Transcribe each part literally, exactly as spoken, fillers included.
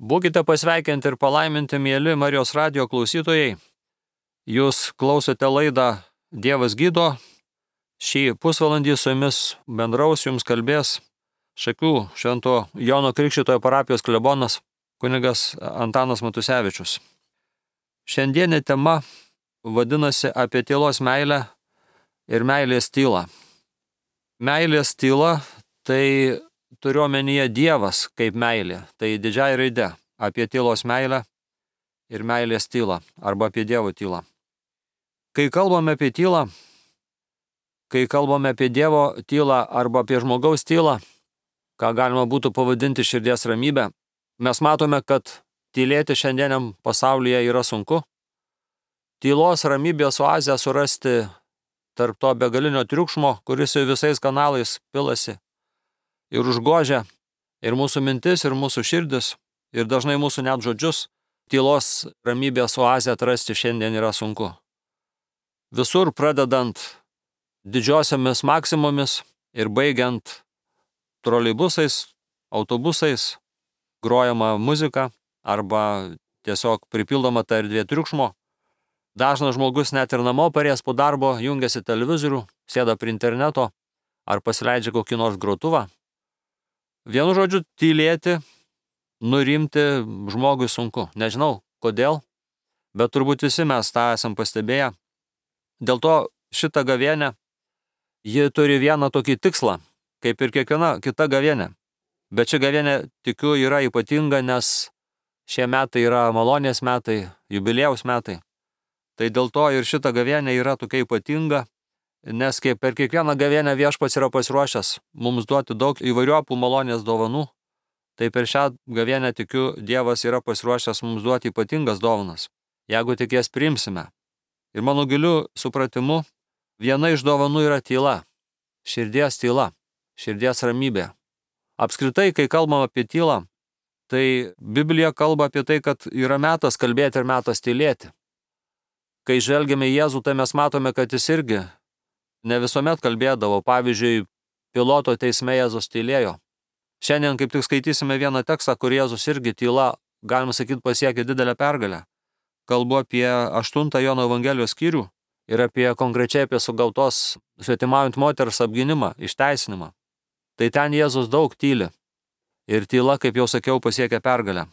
Būkite pasveikinti ir palaiminti, mieli Marijos radijo klausytojai. Jūs klausote laidą Dievas gydo. Šį pusvalandį su jumis bendraus, jums kalbės Šakių Švento Jono Krikštytojo parapijos klebonas kunigas Antanas Matusevičius. Šiandienė tema vadinasi apie tylos meilę ir meilės tylą. Meilės tyla tai turiu omenyje Dievas kaip meilė, tai didžiai raide apie tylos meilę ir meilės tylą arba apie Dievo tylą. Kai kalbame apie tylą, kai kalbame apie Dievo tylą arba apie žmogaus tylą, ką galima būtų pavadinti širdies ramybę, mes matome, kad tylėti šiandieniam pasaulyje yra sunku. Tylos ramybės oazę surasti tarp to begalinio triukšmo, kuris jau visais kanalais pilasi ir užgožia ir mūsų mintis, ir mūsų širdis, ir dažnai mūsų net žodžius, tylos ramybės oazę atrasti šiandien yra sunku. Visur pradedant didžiosiamis maksimomis ir baigiant troleibusais, autobusais, grojama muzika arba tiesiog pripildoma ta erdvė triukšmo. Dažnas žmogus net ir namo parėjęs po darbo jungiasi televizorių, sėda prie interneto ar pasileidžia kokį nors grotuvą. Vienu žodžiu, tylėti, nurimti žmogui sunku. Nežinau, kodėl, bet turbūt visi mes tą esam pastebėję. Dėl to šitą gavėnią, ji turi vieną tokį tikslą, kaip ir kiekviena kita gavėnė. Bet ši gavėnė, tikiu, yra ypatinga, nes šie metai yra malonės metai, jubiliejaus metai. Tai dėl to ir šita gavėnė yra tokia ypatinga, nes kaip per kiekvieną gavėnę Viešpats yra pasiruošęs mums duoti daug įvairiopų malonės dovanų, tai per šią gavėnę, tikiu, Dievas yra pasiruošęs mums duoti ypatingas dovanas, jeigu tik jas priimsime. Ir mano giliu supratimu, viena iš dovanų yra tyla, širdies tyla, širdies ramybė. Apskritai, kai kalbam apie tylą, tai Biblija kalba apie tai, kad yra metas kalbėti ir metas tylėti. Kai žvelgiame į Jėzų, tai mes matome, kad jis irgi ne visuomet kalbėdavo. Pavyzdžiui, Piloto teisme Jėzus tylėjo. Šiandien kaip tik skaitysime vieną tekstą, kur Jėzus irgi tyla, galima sakyti, pasiekė didelę pergalę. Kalbu apie aštuntą Jono Evangelijos skyrių ir apie konkrečiai apie sugautos svetimaujant moters apgynimą, išteisinimą. Tai ten Jėzus daug tyli. Ir tyla, kaip jau sakiau, pasiekė pergalę.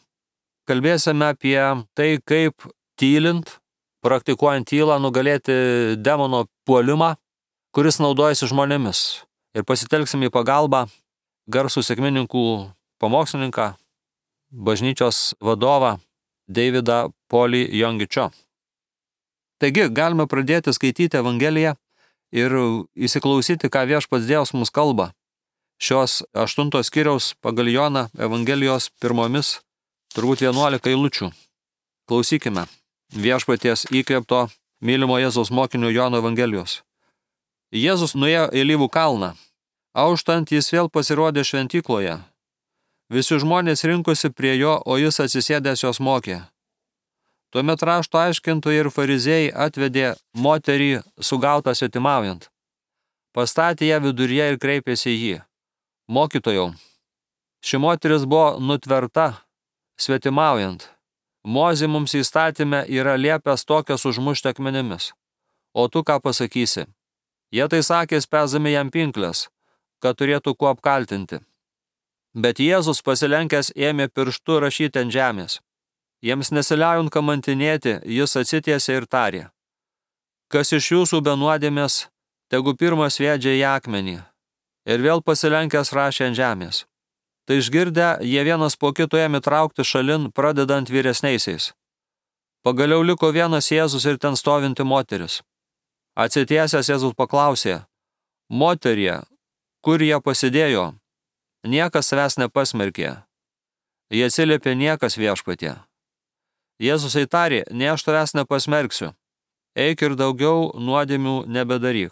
Kalbėsime apie tai, kaip tylint, praktikuojant tylą, nugalėti demono puolimą, kuris naudojasi žmonėmis. Ir pasitelksim į pagalbą garsų sekmininkų pamokslininką, bažnyčios vadovą Davidą Polį Jongičio. Taigi, galime pradėti skaityti Evangeliją ir įsiklausyti, ką Viešpats Dievas mums kalba. Šios aštuntos skyriaus pagal Joną Evangelijos pirmomis turbūt vienuolika eilučių. Klausykime Viešpaties įkvėpto mylimo Jėzaus mokinio Jono Evangelijos. Jėzus nuėjo į Alyvų kalną. Auštant jis vėl pasirodė šventykloje. Visi žmonės rinkosi prie jo, o jis atsisėdęs jos mokė. Tuomet rašto aiškintojai ir farizėjai atvedė moterį sugautą svetimaujant. Pastatė ją viduryje ir kreipėsi į jį. Mokytojau, ši moteris buvo nutverta svetimaujant. Mozė mums įstatyme yra liepęs tokias užmušti akmenimis. O tu ką pasakysi? Jie tai sakė, spęsdami jam pinklės, kad turėtų kuo apkaltinti. Bet Jėzus pasilenkęs ėmė pirštu rašyti ant žemės. Jiems nesiliaujant kamantinėti, jis atsitiesė ir tarė. Kas iš jūsų be nuodėmės, tegu pirmas sviedžia į akmenį. Ir vėl pasilenkęs rašė ant žemės. Tai išgirdę, jie vienas po kito ėmė traukti šalin, pradedant vyresniaisiais. Pagaliau liko vienas Jėzus ir ten stovinti moteris. Atsitiesęs Jėzus paklausė, moterie, kur jie pasidėjo? Niekas savęs nepasmerkė. Jie atsiliepė, niekas Viešpatie. Jėzus įtarė, ne aš tavęs nepasmerksiu. Eik ir daugiau nuodėmių nebedaryk.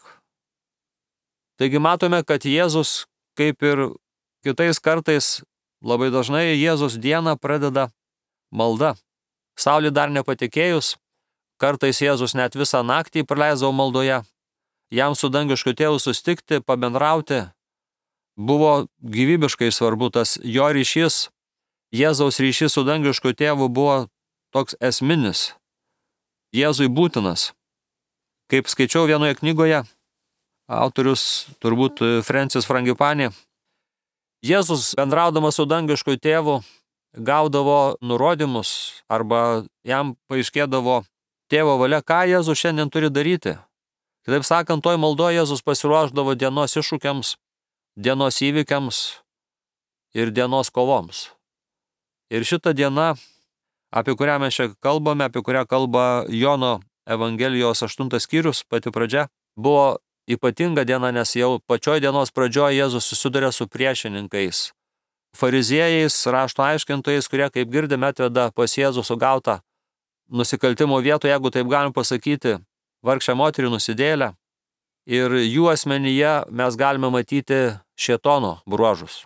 Taigi matome, kad Jėzus, kaip ir kitais kartais, labai dažnai Jėzus dieną pradeda malda. Saulė dar nepatekėjus, kartais Jėzus net visą naktį praleisdavo maldoje. Jam su dangišku tėvu sustikti, pabendrauti, buvo gyvybiškai svarbu tas jo ryšys Jėzaus ryšys su dangišku tėvu buvo toks esminis, Jėzui būtinas. Kaip skaičiau vienoje knygoje, autorius turbūt Francis Frangipani, Jėzus bendraudamas su dangišku tėvu gaudavo nurodymus arba jam paaiškėdavo tėvo valia, ką Jėzus šiandien turi daryti. Kitaip sakant, toj maldoje Jėzus pasiruošdavo dienos iššūkiams, dienos įvykiams ir dienos kovoms. Ir šita diena, apie kurią mes čia kalbame, apie kurią kalba Jono Evangelijos aštuntas skyrius, pati pradžia, buvo ypatinga diena, nes jau pačioj dienos pradžioje Jėzus susiduria su priešininkais, fariziejais, rašto aiškintojais, kurie, kaip girdime, atveda pas Jėzų sugautą nusikaltimo vietą, jeigu taip galim pasakyti, vargšę moterį nusidėlę. Ir jų asmenyje mes galime matyti šėtono bruožus.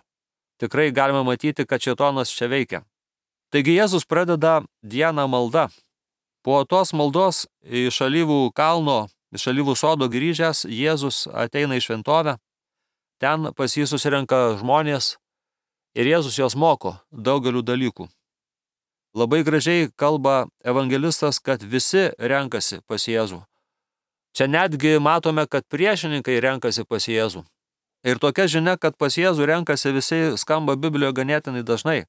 Tikrai galime matyti, kad šėtonas čia veikia. Taigi Jėzus pradeda dieną malda. Po tos maldos iš Alyvų kalno, iš Alyvų sodo grįžęs, Jėzus ateina į šventovę. Ten pas jį susirenka žmonės ir Jėzus jos moko daugelių dalykų. Labai gražiai kalba evangelistas, kad visi renkasi pas Jėzų. Čia netgi matome, kad priešininkai renkasi pas Jėzų. Ir tokia žinia, kad pas Jėzų renkasi visi, skamba Biblijoje ganėtinai dažnai.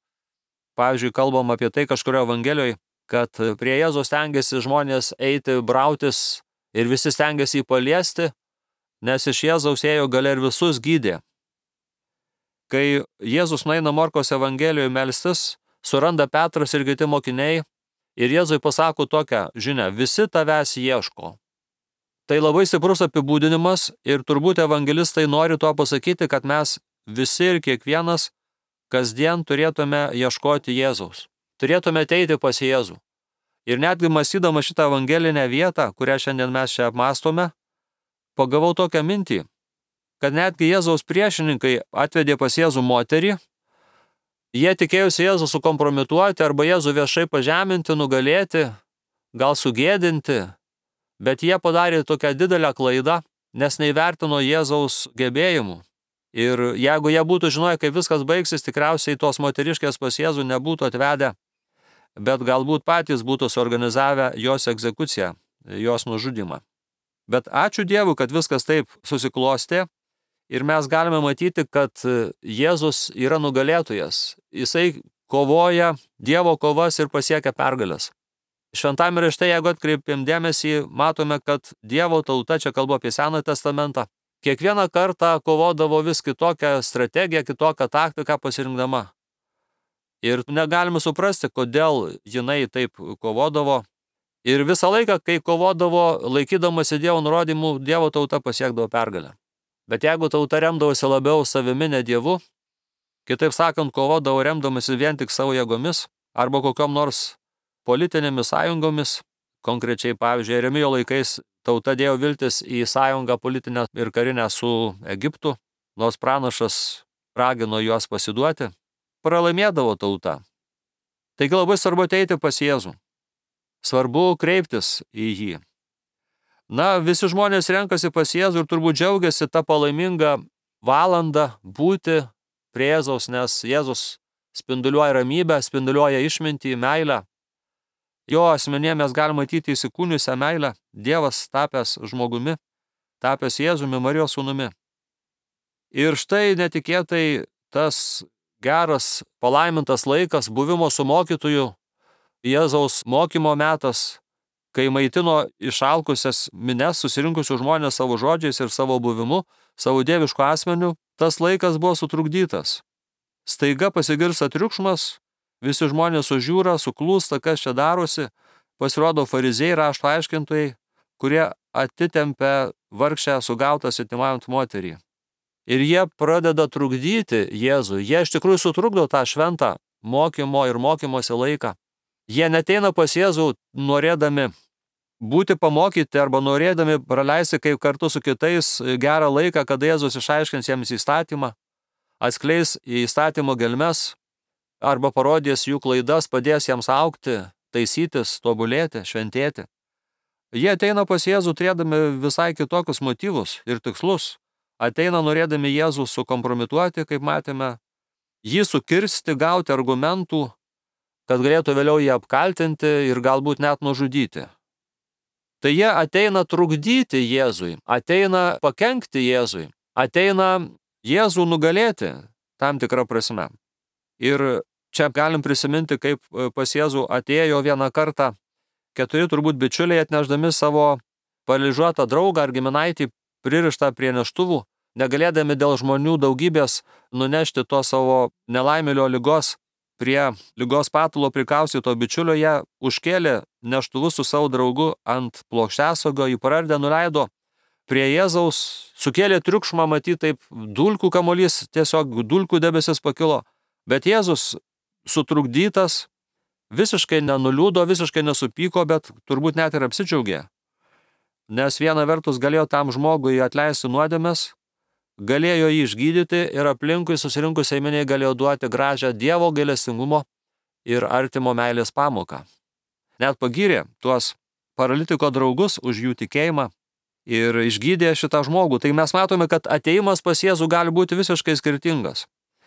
Pavyzdžiui, kalbam apie tai kažkurio Evangelijoje, kad prie Jėzaus stengiasi žmonės eiti, brautis ir visi stengiasi jį paliesti, nes iš Jėzaus ėjo galia ir visus gydė. Kai Jėzus nueina Morkos Evangelijoje melstis, suranda Petras ir kiti mokiniai ir Jėzui pasako tokią žinią: visi tavęs ieško. Tai labai stiprus apibūdinimas ir turbūt evangelistai nori tuo pasakyti, kad mes visi ir kiekvienas kasdien turėtume ieškoti Jėzaus. Turėtume ateiti pas Jėzų. Ir netgi mąstydama šitą evangelinę vietą, kurią šiandien mes čia apmąstome, pagavau tokią mintį, kad netgi Jėzaus priešininkai atvedė pas Jėzų moterį, jie tikėjusi Jėzų sukompromituoti arba Jėzų viešai pažeminti, nugalėti, gal sugėdinti, bet jie padarė tokią didelę klaidą, nes neįvertino Jėzaus gebėjimų. Ir jeigu jie būtų žinoję, kaip viskas baigsis, tikriausiai tos moteriškės pas Jėzų nebūtų atvedę, bet galbūt patys būtų suorganizavę jos egzekuciją, jos nužudymą. Bet ačiū Dievui, kad viskas taip susiklostė ir mes galime matyti, kad Jėzus yra nugalėtojas. Jisai kovoja Dievo kovas ir pasiekia pergalės. Šventame rašte, jeigu atkreipėm dėmesį, matome, kad Dievo tauta, čia kalbu apie Seną testamentą, kiekvieną kartą kovodavo vis kitokią strategiją, kitokią taktiką pasirinkdama. Ir negalime suprasti, kodėl jinai taip kovodavo. Ir visą laiką, kai kovodavo, laikydamasi Dievo nurodymų, Dievo tauta pasiekdavo pergalę. Bet jeigu tauta remdavosi labiau savimi, ne Dievu, kitaip sakant, kovodavo remdamasi vien tik savo jėgomis arba kokiom nors politinėmis sąjungomis, konkrečiai, pavyzdžiui, Jeremijo laikais tauta dėjo viltis į sąjungą politinę ir karinę su Egiptu, nors pranašas ragino juos pasiduoti, pralaimėdavo tauta. Taigi labai svarbu ateiti pas Jėzų. Svarbu kreiptis į jį. Na, visi žmonės renkasi pas Jėzų ir turbūt džiaugiasi tą palaimingą valandą būti prie Jėzaus, nes Jėzus spinduliuoja ramybę, spinduliuoja išmintį, meilę. Jo asmenyje mes galime matyti įsikūniusią meilę, Dievas tapęs žmogumi, tapęs Jėzumi, Marijos sūnumi. Ir štai netikėtai tas geras, palaimintas laikas buvimo su mokytoju, Jėzaus mokymo metas, kai maitino išalkusias mines, susirinkusių žmonės savo žodžiais ir savo buvimu, savo dievišku asmeniu, tas laikas buvo sutrukdytas. Staiga pasigirsta triukšmas, visi žmonės sužiūra, suklūsta, kas čia darosi, pasirodo fariziejai, rašto aiškintojai, kurie atitempia vargšę sugautą svetimaujant moterį. Ir jie pradeda trukdyti Jėzų. Jie iš tikrųjų sutrukdo tą šventą mokymo ir mokymosi laiką. Jie neteina pas Jėzų norėdami būti pamokyti arba norėdami praleisti kaip kartu su kitais gerą laiką, kada Jėzus išaiškins jiems įstatymą, atskleis įstatymo gelmes, arba parodys jų klaidas, padės jiems augti, taisytis, tobulėti, šventėti. Jie ateina pas Jėzų turėdami visai kitokius motyvus ir tikslus. Ateina norėdami Jėzų sukompromituoti, kaip matėme. jį sukirsti, gauti argumentų, kad galėtų vėliau jį apkaltinti ir galbūt net nužudyti. Tai jie ateina trukdyti Jėzui, ateina pakenkti Jėzui, ateina Jėzų nugalėti tam tikrą prasme. Ir čia galim prisiminti, kaip pas Jėzų atėjo vieną kartą keturi turbūt bičiuliai atnešdami savo paralyžiuotą draugą ar giminaitį pririštą prie neštuvų, negalėdami dėl žmonių daugybės nunešti to savo nelaimėlio ligos prie ligos patulo prikaustyto bičiulio, jie užkėlė neštuvus su savo draugu ant plokštėsaugo, jį parardė, nuleido prie Jėzaus, sukėlė triukšmą, matyt, taip dulkų kamuolys, tiesiog dulkų debesis pakilo, bet Jėzus sutrukdytas, visiškai nenuliūdo, visiškai nesupyko, bet turbūt net ir apsidžiaugė. Nes viena vertus galėjo tam žmogui atleisti nuodėmes, galėjo jį išgydyti ir aplinkui susirinkusiai miniai galėjo duoti gražią Dievo gailestingumo ir artimo meilės pamoką. Net pagyrė tuos paralitiko draugus už jų tikėjimą ir išgydė šitą žmogų. Tai mes matome, kad ateimas pas Jėzų gali būti visiškai skirtingas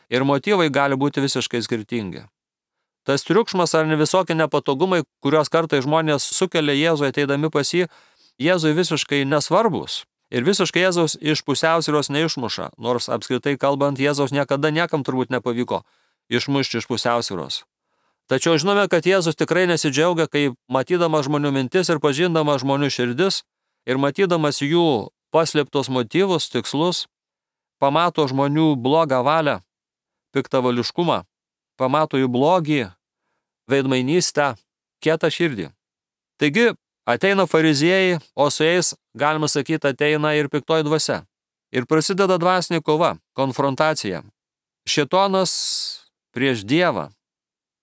ir motyvai gali būti visiškai skirtingi. Tas triukšmas ar ne visokie nepatogumai, kurios kartai žmonės sukelia Jėzui ateidami pas jį, Jėzui visiškai nesvarbus. Ir visiškai Jėzaus iš pusiausvyros neišmuša, nors apskritai kalbant, Jėzaus niekada niekam turbūt nepavyko išmušti iš pusiausvyros. Tačiau žinome, kad Jėzus tikrai nesidžiaugia, kai matydamas žmonių mintis ir pažindamas žmonių širdis ir matydamas jų paslėptos motyvus, tikslus, pamato žmonių blogą valią, piktavališkumą, pamato jų blogį, veidmainystę, kietą širdį. Taigi, ateina fariziejai, o su jais, galima sakyti, ateina ir piktoji dvasia. Ir prasideda dvasinė kova, konfrontacija. Šėtonas prieš Dievą.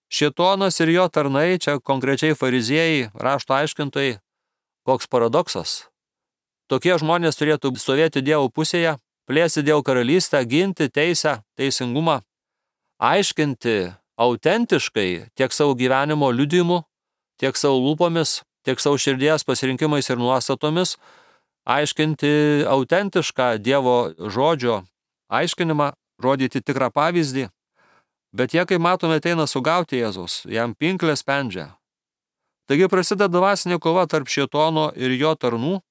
Šėtonas ir jo tarnai, čia konkrečiai fariziejai, rašto aiškintojai, koks paradoksas. Tokie žmonės turėtų stovėti Dievo pusėje, plėsti Dievo karalystę, ginti teisę, teisingumą, aiškinti autentiškai tiek savo gyvenimo liudijimu, tiek savo lūpomis, tiek savo širdies pasirinkimais ir nuostatomis, aiškinti autentišką Dievo žodžio aiškinimą, rodyti tikrą pavyzdį, bet jie, kaip matome, ateina sugauti Jėzaus, jam pinklę spendžia. Taigi prasideda dvasinė kova tarp šėtono ir jo tarnų,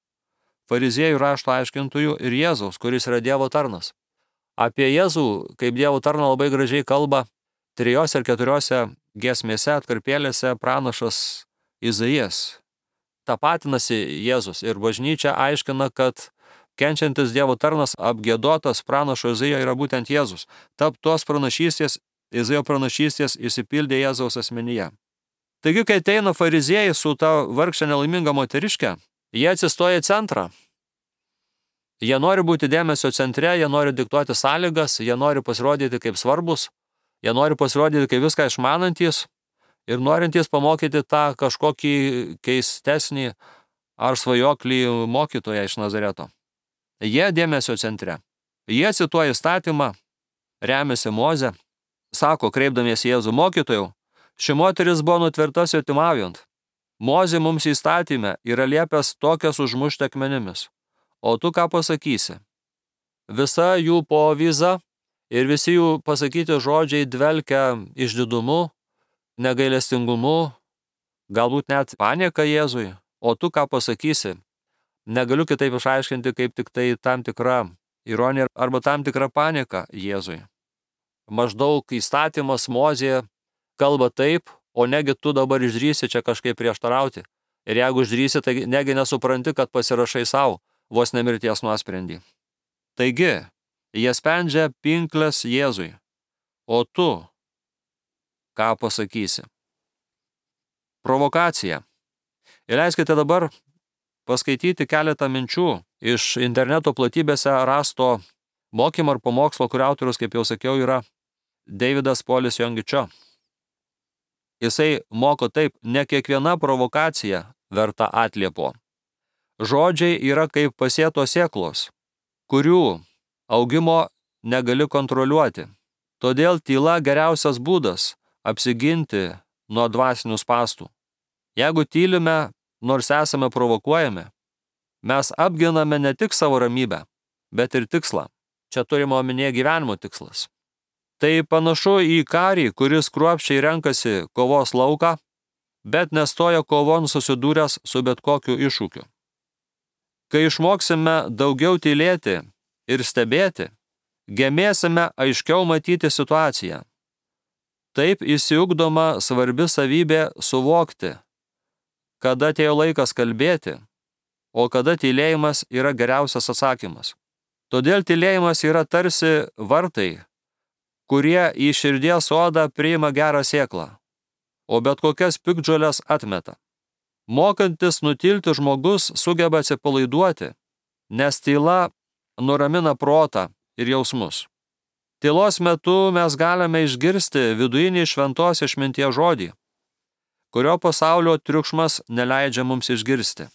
fariziejų, rašto aiškintojų ir Jėzaus, kuris yra Dievo tarnas. Apie Jėzų kaip Dievo tarną labai gražiai kalba trijose ir keturiose giesmėse, atkarpėlėse pranašas Izaijas. Tapatinasi Jėzus ir bažnyčia aiškina, kad kenčiantis Dievo tarnas apgiedotas pranašo Izaijo yra būtent Jėzus. Tarp tos pranašystės, Izaijo pranašystės išsipildė Jėzaus asmenyje. Taigi, kai ateina fariziejai su ta vargšė nelaiminga moteriške, jie atsistoja į centrą. Jie nori būti dėmesio centre, jie nori diktuoti sąlygas, jie nori pasirodyti kaip svarbus, jie nori pasirodyti kaip viską išmanantys ir norintys pamokyti tą kažkokį keistesnį ar svajoklį mokytoją iš Nazareto. Jie dėmesio centre. Jie cituoja įstatymą, remiasi Moze, sako, kreipdamiesi Jėzų mokytojau, ši moteris buvo nutverta svetimaujant. Mozė mums įstatyme yra liepęs tokias užmušti akmenimis. O tu ką pasakysi? Visa jų povyza ir visi jų pasakyti žodžiai dvelkia išdidumu, negailestingumu, galbūt net panieka Jėzui. O tu ką pasakysi? Negaliu kitaip išaiškinti, kaip tik tai tam tikra ironija arba tam tikra panieka Jėzui. Maždaug įstatymas Mozė kalba taip, o negi tu dabar išdrįsi čia kažkaip prieštarauti. Ir jeigu išdrįsi, tai negi nesupranti, kad pasirašai savo vos nemirties nuosprendį. Taigi, jie spendžia pinklės Jėzui. O tu ką pasakysi? Provokacija. Ir leiskite dabar paskaityti keletą minčių iš interneto platybėse rasto mokymo ar pamokslo, kurio autorius, kaip jau sakiau, yra Davidas Polis Jongičio. Jisai moko taip, ne kiekviena provokacija verta atliepo. Žodžiai yra kaip pasėtos sėklos, kurių augimo negali kontroliuoti. Todėl tyla geriausias būdas apsiginti nuo dvasinių spąstų. Jeigu tylime, nors esame provokuojami, mes apginame ne tik savo ramybę, bet ir tikslą. Čia turime omenyje gyvenimo tikslas. Tai panašu į karį, kuris kruopščiai renkasi kovos lauką, bet nestoja kovon susidūręs su bet kokiu iššūkiu. Kai išmoksime daugiau tylėti ir stebėti, gebėsime aiškiau matyti situaciją. Taip įsiugdoma svarbi savybė suvokti, kada atėjo laikas kalbėti, o kada tylėjimas yra geriausias atsakymas. Todėl tylėjimas yra tarsi vartai, kurie į širdies sodą priima gerą sėklą, o bet kokias piktžoles atmeta. Mokantis nutilti žmogus sugeba atsipalaiduoti, nes tyla nuramina protą ir jausmus. Tylos metu mes galime išgirsti vidujinį šventos išminties žodį, kurio pasaulio triukšmas neleidžia mums išgirsti.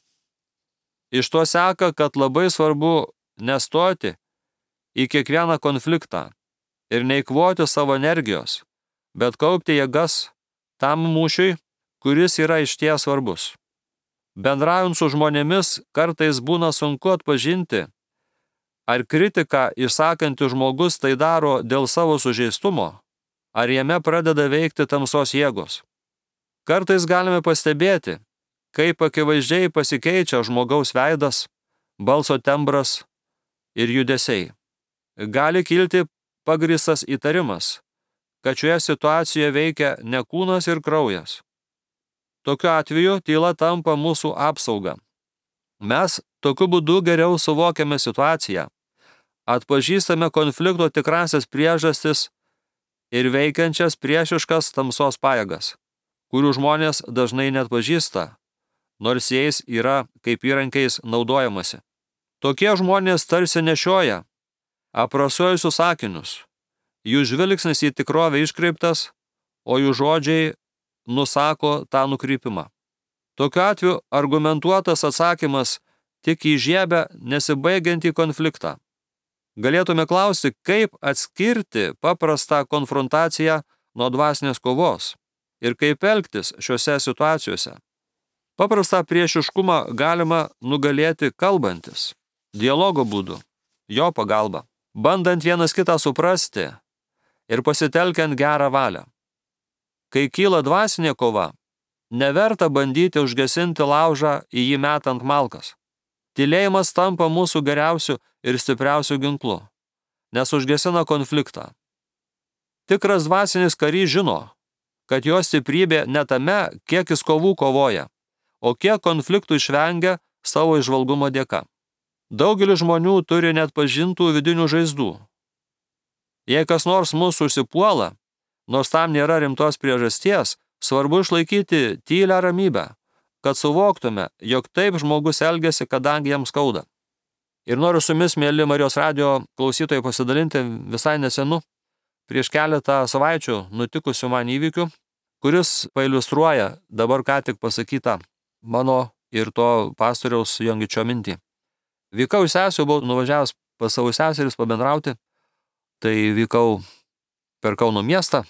Iš to seka, kad labai svarbu nestoti į kiekvieną konfliktą ir neikvoti savo energijos, bet kaupti jėgas tam mūšiui, kuris yra išties svarbus. Bendraujant su žmonėmis kartais būna sunku atpažinti, ar kritiką išsakantis žmogus tai daro dėl savo sužeistumo, ar jame pradeda veikti tamsos jėgos. Kartais galime pastebėti, kaip akivaizdžiai pasikeičia žmogaus veidas, balso tembras ir judesiai. Gali kilti pagrįstas įtarimas, kad šioje situacijoje veikia ne kūnas ir kraujas. Tokiu atveju tyla tampa mūsų apsauga. Mes tokiu būdu geriau suvokiame situaciją, atpažįstame konflikto tikrasias priežastis ir veikiančias priešiškas tamsos pajėgas, kurių žmonės dažnai neatpažįsta, nors jais yra kaip įrankiais naudojamasi. Tokie žmonės tarsi nešioja aprasuojusius sakinius, jų žvilgsnis į tikrovę iškreiptas, o jų žodžiai nusako tą nukrypimą. Tokiu atveju argumentuotas atsakymas tik įžiebia nesibaigiantį konfliktą. Galėtume klausti, kaip atskirti paprastą konfrontaciją nuo dvasinės kovos ir kaip elgtis šiuose situacijose. Paprastą priešiškumą galima nugalėti kalbantis, dialogo būdu, jo pagalba, bandant vienas kitą suprasti ir pasitelkiant gerą valią. Kai kyla dvasinė kova, neverta bandyti užgesinti laužą į jį metant malkas. Tylėjimas tampa mūsų geriausiu ir stipriausiu ginklu, nes užgesina konfliktą. Tikras dvasinis karys žino, kad jo stiprybė ne tame, kiek jis kovų kovoja, o kiek konfliktų išvengia savo įžvalgumo dėka. Daugelis žmonių turi net pažintų vidinių žaizdų. Jei kas nors mūsų užsipuola, nors tam nėra rimtos priežasties, svarbu išlaikyti tylią ramybę, kad suvoktume, jog taip žmogus elgiasi, kadangi jam skauda. Ir noriu su jumis, mėly Marijos radijo klausytojai, pasidalinti visai nesenu, prieš keletą savaičių nutikusių man įvykių, kuris pailiustruoja dabar ką tik pasakytą mano ir to pastoriaus Jongičio mintį. Vykau į sesių, buvau nuvažiavęs pas savo seseris pabendrauti, tai vykau per Kauno miestą,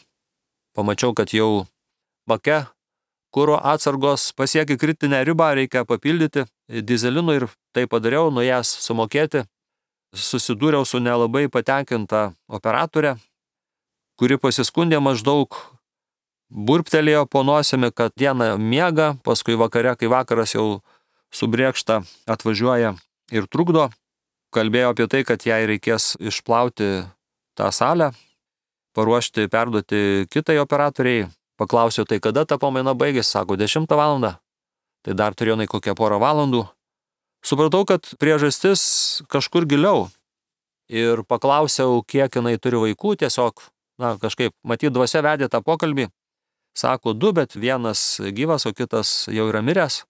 pamačiau, kad jau bake kuro atsargos pasiekė kritinę ribą, reikia papildyti dyzelinu ir tai padariau, nuėjęs sumokėti, susidūriau su nelabai patenkinta operatorė, kuri pasiskundė maždaug, burptelėjo po nosimi, kad dieną miega, paskui vakare, kai vakaras jau subrėkšta, atvažiuoja ir trukdo. Kalbėjo apie tai, kad jai reikės išplauti tą salę, paruošti, perduoti kitai operatoriai. Paklausiau, tai kada ta pamaina baigėsi, sako, dešimtą valandą. Tai dar turėjo nai kokią porą valandų. Supratau, kad priežastis kažkur giliau. Ir paklausiau, kiek jinai turi vaikų, tiesiog, na, kažkaip, matyt, dvasia vedė tą pokalbį. Sako, du, bet vienas gyvas, o kitas jau yra miręs.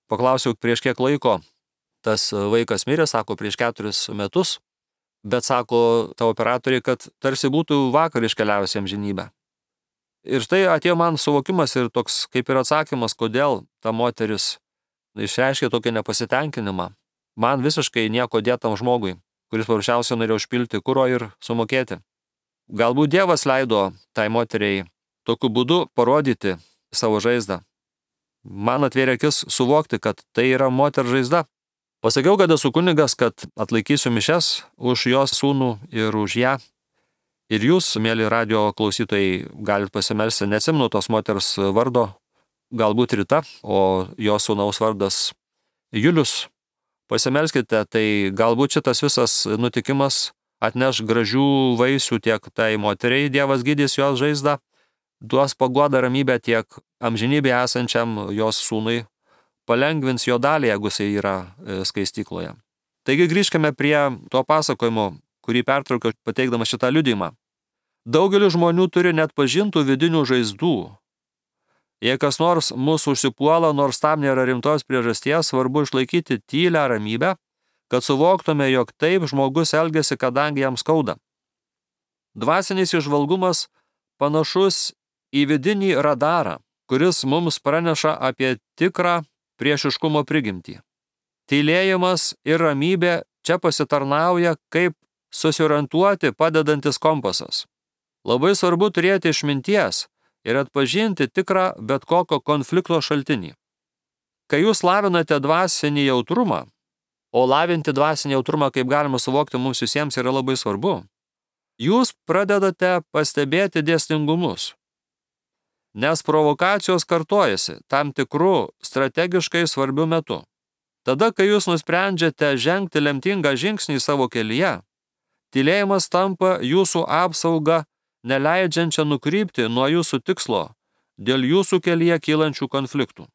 Paklausiau, prieš kiek laiko tas vaikas mirė, sako, prieš keturis metus. Bet sako ta operatoriai, kad tarsi būtų vakar iškeliavęs jam žinybę. Ir štai atėjo man suvokimas ir toks kaip ir atsakymas, kodėl ta moteris išreiškė tokį nepasitenkinimą. Man visiškai nieko dėtam žmogui, kuris paprasčiausiai norėjo užpilti kuro ir sumokėti. Galbūt Dievas leido tai moteriai tokiu būdu parodyti savo žaizdą. Man atvėrė akis suvokti, kad tai yra moters žaizda. Pasakiau, kad esu kunigas, kad atlaikysiu mišes už jos sūnų ir už ją. Ir jūs, mėly radio klausytojai, galite pasimelsti, neatsimenu tos moters vardo, galbūt Rita, o jos sūnaus vardas Julius. Pasimelskite, tai galbūt šitas visas nutikimas atneš gražių vaisių tiek tai moteriai, Dievas gydys jos žaizdą, duos paguodą ramybę tiek amžinybėje esančiam jos sūnui, palengvins jo dalį, jeigu jisai yra skaistykloje. Taigi grįžkime prie to pasakojimo, kurį pertraukiau pateikdamas šitą liudijimą. Daugelis žmonių turi net pažintų vidinių žaizdų. Jei kas nors mūsų užsipuola, nors tam nėra rimtos priežasties, svarbu išlaikyti tylią ramybę, kad suvoktume, jog taip žmogus elgiasi, kadangi jam skauda. Dvasinis įžvalgumas panašus į vidinį radarą, kuris mums praneša apie tikrą priešiškumo prigimtį. Tylėjimas ir ramybė čia pasitarnauja kaip susiorientuoti padedantis kompasas. Labai svarbu turėti išminties ir atpažinti tikrą bet kokio konflikto šaltinį. Kai jūs lavinate dvasinį jautrumą, o lavinti dvasinį jautrumą, kaip galima suvokti, mums visiems yra labai svarbu, jūs pradedate pastebėti dėsningumus. Nes provokacijos kartojasi tam tikrų strategiškai svarbių metų. Tada, kai jūs nusprendžiate žengti lemtingą žingsnį savo kelyje, tylėjimas tampa jūsų apsauga, neleidžiančia nukrypti nuo jūsų tikslo dėl jūsų kelyje kylančių konfliktų.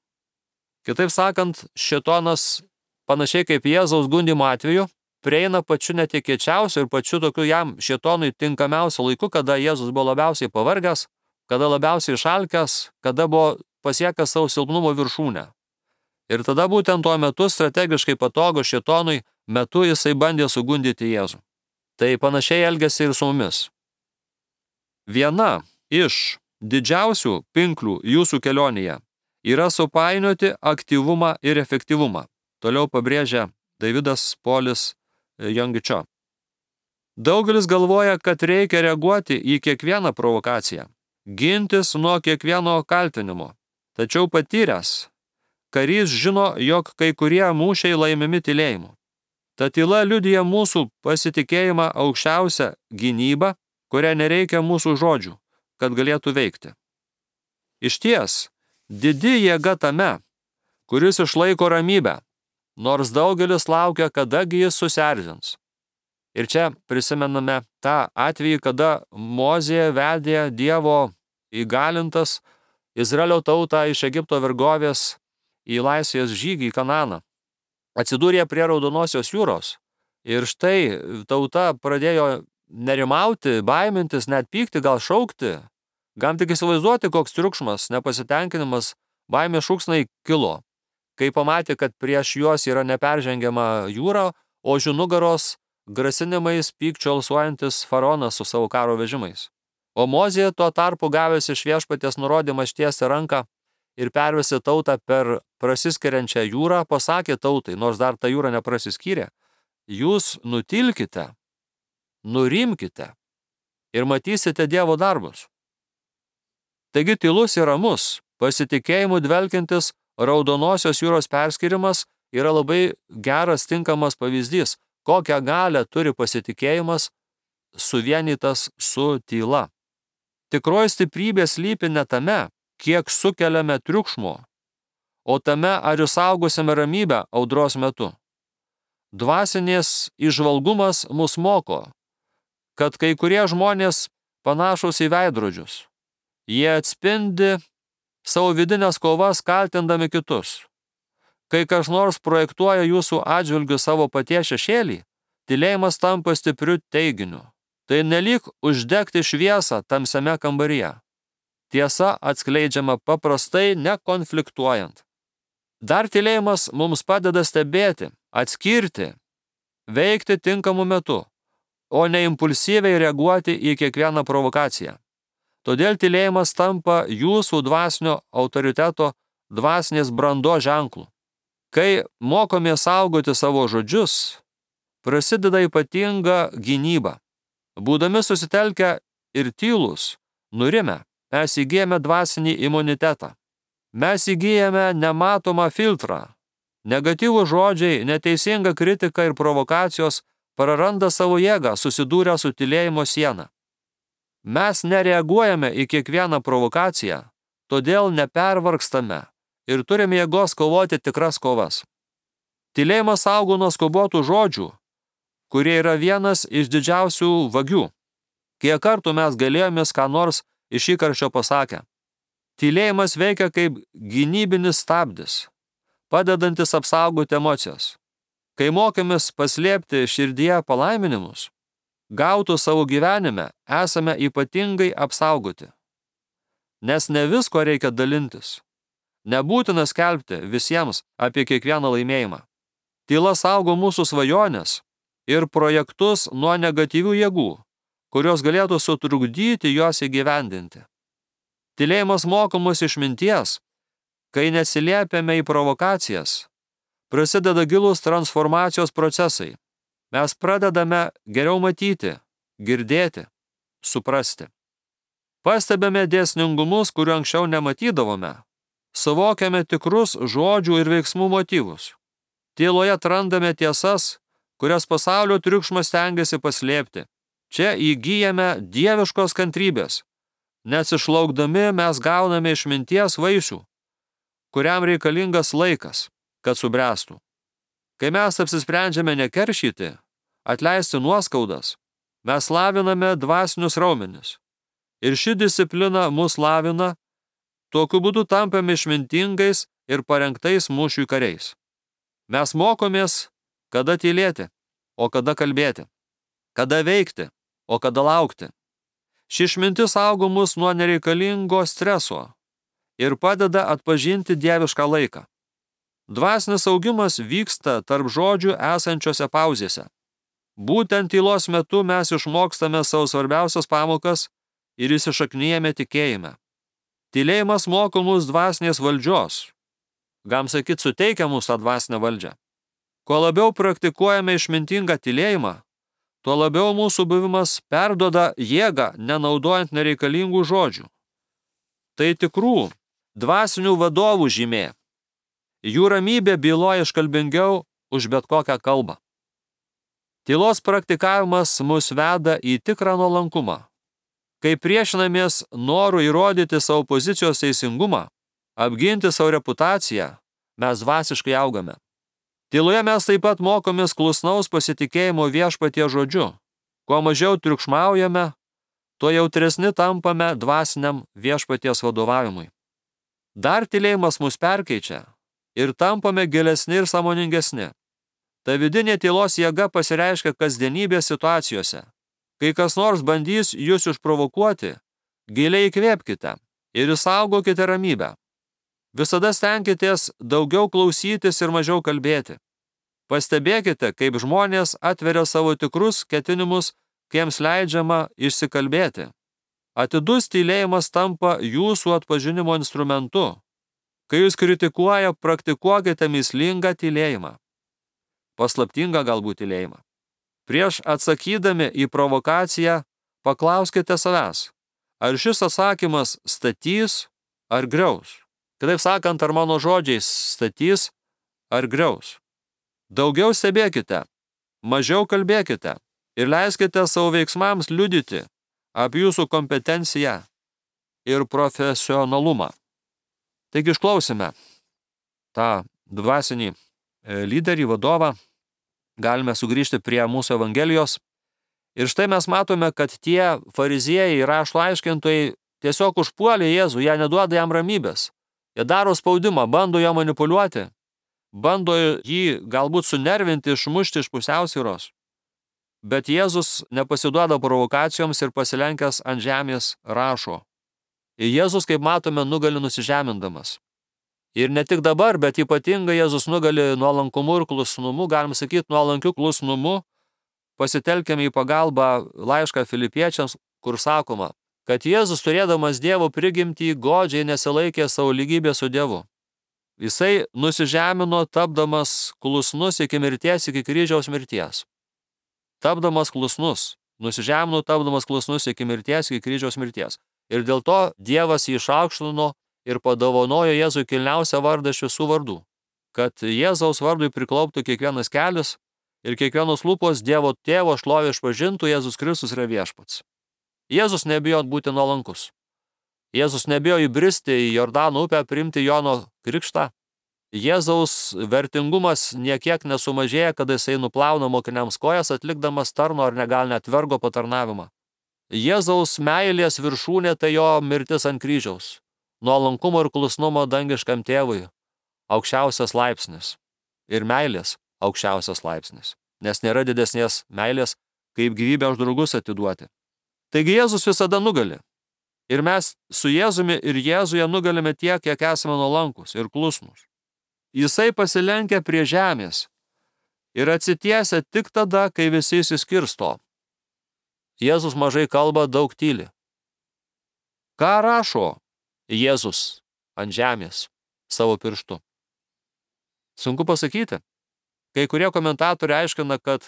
Kitaip sakant, šėtonas, panašiai kaip Jėzaus gundymo atveju, prieina pačiu netikėčiausiu ir pačiu tokiu jam šėtonui tinkamiausiu laiku, kada Jėzus buvo labiausiai pavargęs, kada labiausiai išalkęs, kada buvo pasiekęs savo silpnumo viršūnę. Ir tada būtent tuo metu strategiškai patogo šėtonui metu jisai bandė sugundyti Jėzų. Tai panašiai elgiasi ir su mumis. Viena iš didžiausių pinklių jūsų kelionėje yra supainioti aktyvumą ir efektyvumą. Toliau pabrėžia Davidas Polis Jongičio. Daugelis galvoja, kad reikia reaguoti į kiekvieną provokaciją, gintis nuo kiekvieno kaltinimo. Tačiau patyręs karys žino, jog kai kurie mūšiai laimimi tylėjimu. Ta tyla liudija mūsų pasitikėjimą aukščiausią gynybą, kurią nereikia mūsų žodžių, kad galėtų veikti. Išties, didi jėga tame, kuris išlaiko ramybę, nors daugelis laukia, kadagi jis susierzins. Ir čia prisimename tą atvejį, kada Mozė vedė Dievo įgalintas Izraelio tautą iš Egipto vergovės į laisvės žygį į Kananą. Atsidūrė prie Raudonosios jūros ir štai tauta pradėjo nerimauti, baimintis, net pykti, gal šaukti. Gal tik įsivaizduoti, koks triukšmas, nepasitenkinimas, baimės šūksnai kilo, kai pamatė, kad prieš juos yra neperžengiama jūra, o už jų nugaros grasinimais pykčio alsuojantis faraonas su savo karo vežimais. O Mozė tuo tarpu gavęs iš viešpaties nurodymą ištiesti ranką ir pervesti tautą per prasiskiriančią jūrą, pasakė tautai, nors dar ta jūra neprasiskyrė, jūs nutilkite, nurimkite ir matysite Dievo darbus. Taigi tylus ir ramus, pasitikėjimu dvelkiantis Raudonosios jūros perskirimas yra labai geras, tinkamas pavyzdys, kokią galią turi pasitikėjimas suvienytas su tyla. Tikroji stiprybė slypi ne tame, kiek sukeliame triukšmo, o tame, ar išsaugosime ramybę audros metu. Dvasinės įžvalgumas mus moko, kad kai kurie žmonės panašus į veidrodžius. Jie atspindi savo vidinės kovas kaltindami kitus. Kai kas nors projektuoja jūsų atžvilgiu savo paties šešėlį, tylėjimas tampa stipriu teiginiu. Tai nelyg uždegti šviesą tamsiame kambaryje. Tiesa atskleidžiama paprastai nekonfliktuojant. Dar tylėjimas mums padeda stebėti, atskirti, veikti tinkamu metu, o ne impulsyviai reaguoti į kiekvieną provokaciją. Todėl tylėjimas tampa jūsų dvasinio autoriteto, dvasinės brandos ženklu. Kai mokome saugoti savo žodžius, prasideda ypatinga gynyba. Būdami susitelkę ir tylūs, nurimę, mes įgyjame dvasinį imunitetą. Mes įgyjame nematomą filtrą. Negatyvų žodžiai, neteisinga kritika ir provokacijos praranda savo jėgą, susidūrę su tylėjimo siena. Mes nereaguojame į kiekvieną provokaciją, todėl nepervargstame ir turime jėgos kovoti tikras kovas. Tylėjimas saugo nuo skubotų žodžių, kurie yra vienas iš didžiausių vagių. Kiek kartų mes galėjomės ką nors iš įkarščio pasakę. Tylėjimas veikia kaip gynybinis stabdis, padedantis apsaugoti emocijas. Kai mokėmės paslėpti širdyje palaiminimus, gautų savo gyvenime, esame ypatingai apsaugoti. Nes ne visko reikia dalintis. Nebūtina skelbti visiems apie kiekvieną laimėjimą. Tyla saugo mūsų svajonės ir projektus nuo negatyvių jėgų, kurios galėtų sutrukdyti juos įgyvendinti. Tylėjimas moko mus išminties, kai nesiliepiame į provokacijas, prasideda gilūs transformacijos procesai. Mes pradedame geriau matyti, girdėti, suprasti. Pastebime dėsningumus, kurių anksčiau nematydavome. Suvokiame tikrus žodžių ir veiksmų motyvus. Tyloje atrandame tiesas, kurias pasaulio triukšmas stengiasi paslėpti. Čia įgyjame dieviškos kantrybės. Nes išlaukdami mes gauname išminties vaisių, kuriam reikalingas laikas, kad subręstų. Kai mes apsisprendžiame nekeršyti, atleisti nuoskaudas, mes laviname dvasinius raumenis. Ir ši disciplina mus lavina, tokiu būdu tampame išmintingais ir parengtais mūšiui kariais. Mes mokomės, kada tylėti, o kada kalbėti, kada veikti, o kada laukti. Ši išmintis saugo mus nuo nereikalingo streso ir padeda atpažinti dievišką laiką. Dvasinis augimas vyksta tarp žodžių esančiose pauzėse. Būtent tylos metu mes išmokstame savo svarbiausias pamokas ir įsišaknyjame tikėjime. Tylėjimas moko mus dvasinės valdžios. Gam sakyt, suteikia mums tą dvasinę valdžią. Kuo labiau praktikuojame išmintingą tylėjimą, tuo labiau mūsų buvimas perduoda jėgą, nenaudojant nereikalingų žodžių. Tai tikrų dvasinių vadovų žymė. Jų ramybė byloja iškalbingiau už bet kokią kalbą. Tylos praktikavimas mus veda į tikrą nuolankumą. Kai priešinamės noru įrodyti savo pozicijos teisingumą, apginti savo reputaciją, mes dvasiškai augame. Tyloje mes taip pat mokomės klusnaus pasitikėjimo viešpatie žodžiu. Kuo mažiau triukšmaujame, tuo jautresni tampame dvasiniam viešpaties vadovavimui. Dar tylėjimas mus perkeičia ir tampame gilesni ir sąmoningesni. Ta vidinė tylos jėga pasireiškia kasdienybės situacijose. Kai kas nors bandys jūs išprovokuoti, giliai įkvėpkite ir išsaugokite ramybę. Visada stenkitės daugiau klausytis ir mažiau kalbėti. Pastebėkite, kaip žmonės atveria savo tikrus ketinimus, kai jiems leidžiama išsikalbėti. Atidus tylėjimas tampa jūsų atpažinimo instrumentu. Kai jūs kritikuoja, praktikuokite mįslingą tylėjimą. Paslaptingą galbūt tylėjimą. Prieš atsakydami į provokaciją, paklauskite savęs, ar šis atsakymas statys ar griaus. Kitaip sakant, ar mano žodžiais statys ar griaus. Daugiau stebėkite, mažiau kalbėkite ir leiskite savo veiksmams liudyti apie jūsų kompetenciją ir profesionalumą. Taigi išklausime tą dvasinį lyderį, vadovą, galime sugrįžti prie mūsų Evangelijos. Ir štai mes matome, kad tie fariziejai ir rašto aiškintojai tiesiog užpuolė Jėzų, jie neduoda jam ramybės. Jie daro spaudimą, bando jo manipuliuoti, bando jį galbūt sunervinti, išmušti iš pusiausvyros. Bet Jėzus nepasiduoda provokacijoms ir pasilenkęs ant žemės rašo. Ir Jėzus, kaip matome, nugali nusižemindamas. Ir ne tik dabar, bet ypatingai Jėzus nugali nuolankumu ir klusnumu, galim sakyti, nuolankiu klusnumu, pasitelkiame į pagalbą laišką Filipiečiams, kur sakoma, kad Jėzus, turėdamas Dievo prigimtį, godžiai nesilaikė savo lygybę su Dievu. Jisai nusižemino, tapdamas klusnus iki mirties, iki kryžiaus mirties. Tapdamas klusnus, nusižemino, tapdamas klusnus iki mirties, iki kryžiaus mirties. Ir dėl to Dievas jį išaukštino ir padovanojo Jėzui kilniausią vardą iš visų vardų, kad Jėzaus vardui priklauptų kiekvienas kelias ir kiekvienos lūpos Dievo tėvo šlovę išpažintų, Jėzus Kristus yra viešpats. Jėzus nebijo būti nuolankus. Jėzus nebijo įbristi į Jordano upę, priimti Jono krikštą. Jėzaus vertingumas niekiek nesumažėja, kada jisai nuplauna mokiniams kojas, atlikdamas tarno ar negal net vergo patarnavimą. Jėzaus meilės viršūnė tai jo mirtis ant kryžiaus. Nuolankumo ir klusnumo dangiškam tėvui aukščiausias laipsnis. Ir meilės aukščiausias laipsnis. Nes nėra didesnės meilės, kaip gyvybę už draugus atiduoti. Taigi Jėzus visada nugali. Ir mes su Jėzumi ir Jėzuje nugalime tiek, kiek esame nuolankus ir klusnus. Jisai pasilenkia prie žemės ir atsitiesia tik tada, kai visi išsiskirsto. Jėzus mažai kalba, daug tyli. Ką rašo Jėzus ant žemės savo pirštu? Sunku pasakyti. Kai kurie komentatoriai aiškina, kad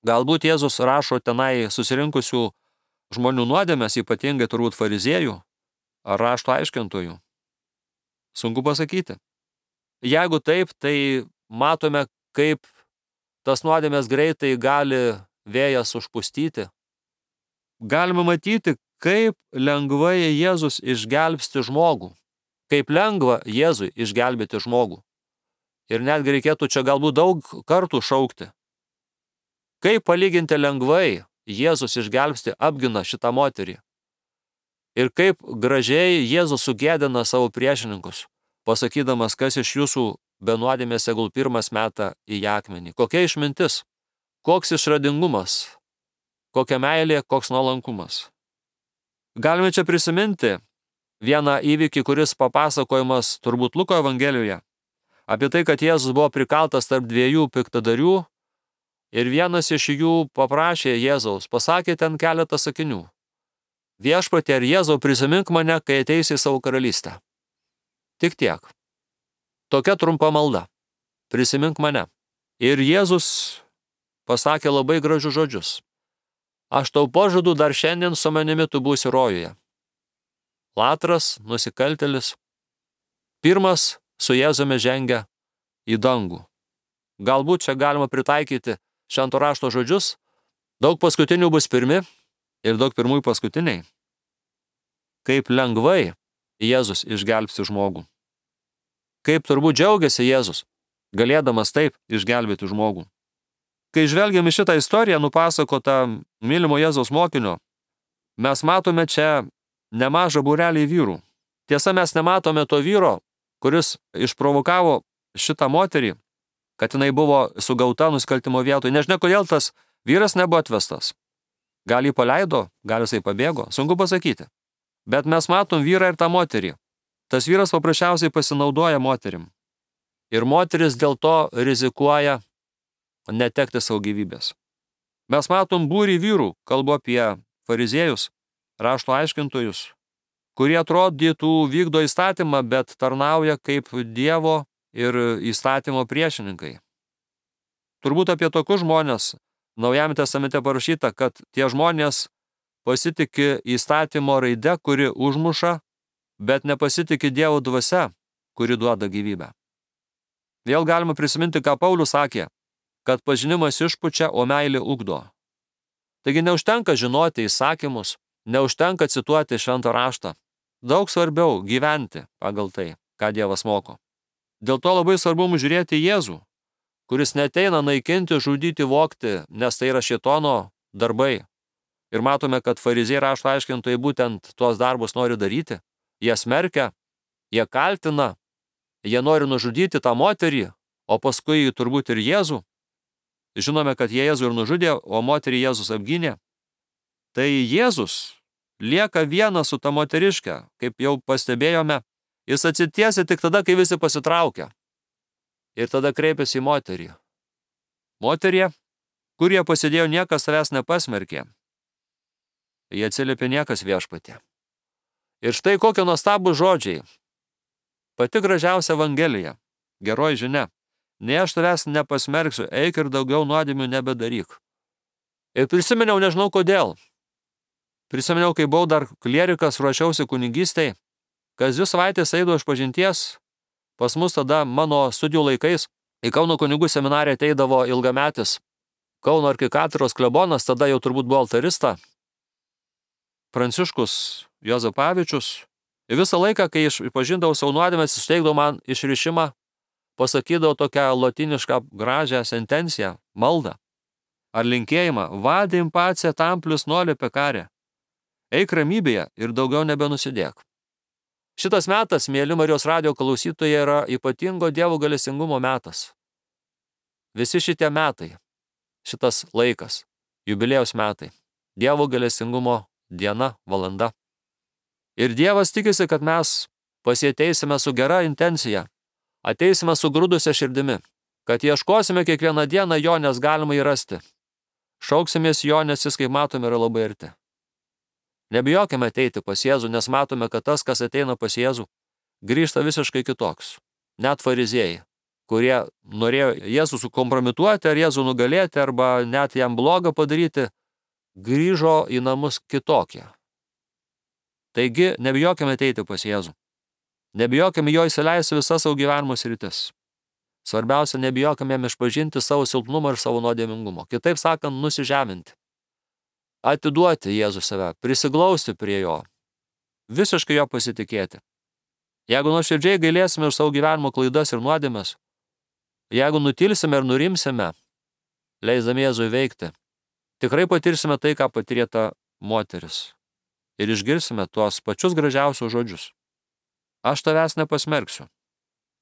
galbūt Jėzus rašo tenai susirinkusių žmonių nuodėmes, ypatingai turbūt fariziejų ar rašto aiškintojų. Sunku pasakyti. Jeigu taip, tai matome, kaip tas nuodėmės greitai gali vėjas užpustyti. Galime matyti, kaip lengvai Jėzus išgelbsti žmogų. Kaip lengva Jėzui išgelbėti žmogų. Ir netgi reikėtų čia galbūt daug kartų šaukti. Kaip palyginti lengvai Jėzus išgelbsti, apgina šitą moterį. Ir kaip gražiai Jėzus sugėdina savo priešininkus, pasakydamas, kas iš jūsų be nuodėmės tegul pirmas meta į akmenį. Kokia išmintis, koks išradingumas, kokia meilė, koks nuolankumas. Galime čia prisiminti vieną įvykį, kuris papasakojimas turbūt Luko evangelijoje, apie tai, kad Jėzus buvo prikaltas tarp dviejų piktadarių ir vienas iš jų paprašė Jėzaus, pasakė ten keletą sakinių. Viešpatie ir Jėzau, prisimink mane, kai ateisi į savo karalystę. Tik tiek. Tokia trumpa malda. Prisimink mane. Ir Jėzus pasakė labai gražius žodžius. Aš tau pažadu, dar šiandien su manimi tu būsi rojuje. Latras, nusikaltėlis, pirmas su Jėzumi žengia į dangų. Galbūt čia galima pritaikyti švento rašto žodžius. Daug paskutinių bus pirmi ir daug pirmųjų paskutiniai. Kaip lengvai Jėzus išgelbsti žmogų. Kaip turbūt džiaugiasi Jėzus, galėdamas taip išgelbėti žmogų. Kai žvelgiame šitą istoriją nupasakotą mylimo Jėzaus mokinio, mes matome čia nemažą būrelį vyrų. Tiesa, mes nematome to vyro, kuris išprovokavo šitą moterį, kad jinai buvo sugauta nusikaltimo vietoje. Nežinia, kodėl tas vyras nebuvo atvestas. Gal jį paleido, gal jisai pabėgo, sunku pasakyti. Bet mes matom vyrą ir tą moterį. Tas vyras paprasčiausiai pasinaudoja moterim. Ir moteris dėl to rizikuoja netekti savo gyvybės. Mes matom būrį vyrų, kalbu apie fariziejus, rašto aiškintojus, kurie atrodytų vykdo įstatymą, bet tarnauja kaip Dievo ir įstatymo priešininkai. Turbūt apie tokius žmonės Naujajame testamente parašyta, kad tie žmonės pasitiki įstatymo raide, kuri užmuša, bet nepasitiki Dievo dvasia, kuri duoda gyvybę. Vėl galima prisiminti, ką Paulius sakė, kad pažinimas išpučia, o meilė ugdo. Taigi neužtenka žinoti įsakymus, neužtenka cituoti šventą raštą. Daug svarbiau gyventi pagal tai, ką Dievas moko. Dėl to labai svarbu mums žiūrėti Jėzų, kuris neteina naikinti, žudyti, vogti, nes tai yra šėtono darbai. Ir matome, kad fariziejai rašto aiškintojai būtent tuos darbus nori daryti. Jie smerkia, jie kaltina, jie nori nužudyti tą moterį, o paskui turbūt ir Jėzų. Žinome, kad jie Jėzų ir nužudė, o moterį Jėzus apgynė. Tai Jėzus lieka vienas su ta moteriške, kaip jau pastebėjome, jis atsitiesia tik tada, kai visi pasitraukia. Ir tada kreipiasi į moterį. Moterie, kurie pasidėjo, niekas savęs nepasmerkė. Jie atsiliepė, niekas viešpatie. Ir štai kokie nuostabūs žodžiai. Pati gražiausia evangelija, geroji žinia. Nei aš tavęs nepasmerksiu, eik ir daugiau nuodėmių nebedaryk. Ir prisiminiau, nežinau kodėl. Prisiminiau, kai buvau dar klierikas, ruošiausi kunigystei, kas dvi savaitės eidavo išpažinties. Pas mus tada mano studijų laikais į Kauno kunigų seminariją ateidavo ilgametis Kauno arkikatedros klebonas, tada jau turbūt buvo altarista, Pranciškus Juozapavičius. Ir visą laiką, kai išpažindavau savo nuodėmes, jis teikdavo man išrišimą, pasakydavo tokią lotinišką gražią sentenciją, maldą ar linkėjimą, vadim pace tamplius noli pecare. Eik ramybėje ir daugiau nebenusidėk. Šitas metas, mėly Marijos radijo klausytojai, yra ypatingo Dievo gailestingumo metas. Visi šitie metai, šitas laikas, jubiliejaus metai, Dievo gailestingumo diena, valanda. Ir Dievas tikisi, kad mes pas jį ateisime su gera intencija, ateisime su grūdusia širdimi, kad ieškosime kiekvieną dieną jo, nes galima įrasti. Šauksimės jo, nes jis, kaip matome, yra labai arti. Nebijokime ateiti pas Jėzų, nes matome, kad tas, kas ateina pas Jėzų, grįžta visiškai kitoks. Net fariziejai, kurie norėjo Jėzų sukompromituoti, ar Jėzų nugalėti, arba net jam blogą padaryti, grįžo į namus kitokie. Taigi, nebijokime ateiti pas Jėzų. Nebijokime jo įsileisti visas savo gyvenimo sritis. Svarbiausia, nebijokime jam išpažinti savo silpnumą ir savo nuodėmingumą. Kitaip sakant, nusižeminti. Atiduoti Jėzų save, prisiglausti prie jo. Visiškai jo pasitikėti. Jeigu nuoširdžiai gailėsime už savo gyvenimo klaidas ir nuodėmes, jeigu nutilsime ir nurimsime, leisdami Jėzui veikti, tikrai patirsime tai, ką patyrė ta moteris. Ir išgirsime tuos pačius gražiausius žodžius. Aš tavęs nepasmerksiu.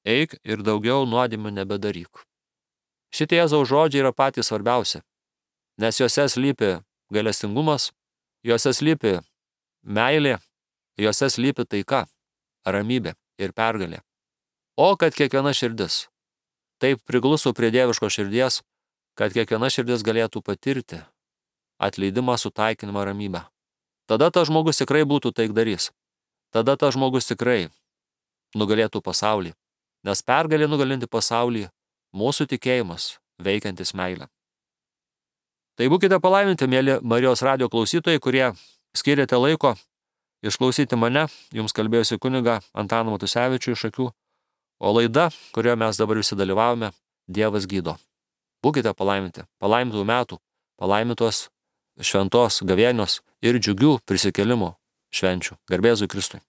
Eik ir daugiau nuodėmių nebedaryk. Šitie Jėzaus žodžiai yra patys svarbiausi, nes juose slypi gailestingumas, juose slypi meilė, juose slypi taika, ramybė ir pergalė. O kad kiekviena širdis taip prigluso prie dieviško širdies, kad kiekviena širdis galėtų patirti atleidimą, sutaikinimą, ramybę. Tada tas žmogus tikrai būtų taikdarys. Tada tas žmogus tikrai nugalėtų pasaulį. Nes pergalė nugalinti pasaulį mūsų tikėjimas, veikiantis meilę. Tai būkite palaiminti, mėly Marijos radijo klausytojai, kurie skiriate laiko išklausyti mane, jums kalbėjusi kuniga Antaną Matusevičių iš Akių, o laida, kurioje mes dabar visi dalyvavome, Dievas gydo. Būkite palaiminti, palaimintų metų, palaimintos šventos gavėnios ir džiugių prisikėlimų švenčių. Garbė Jėzui Kristui.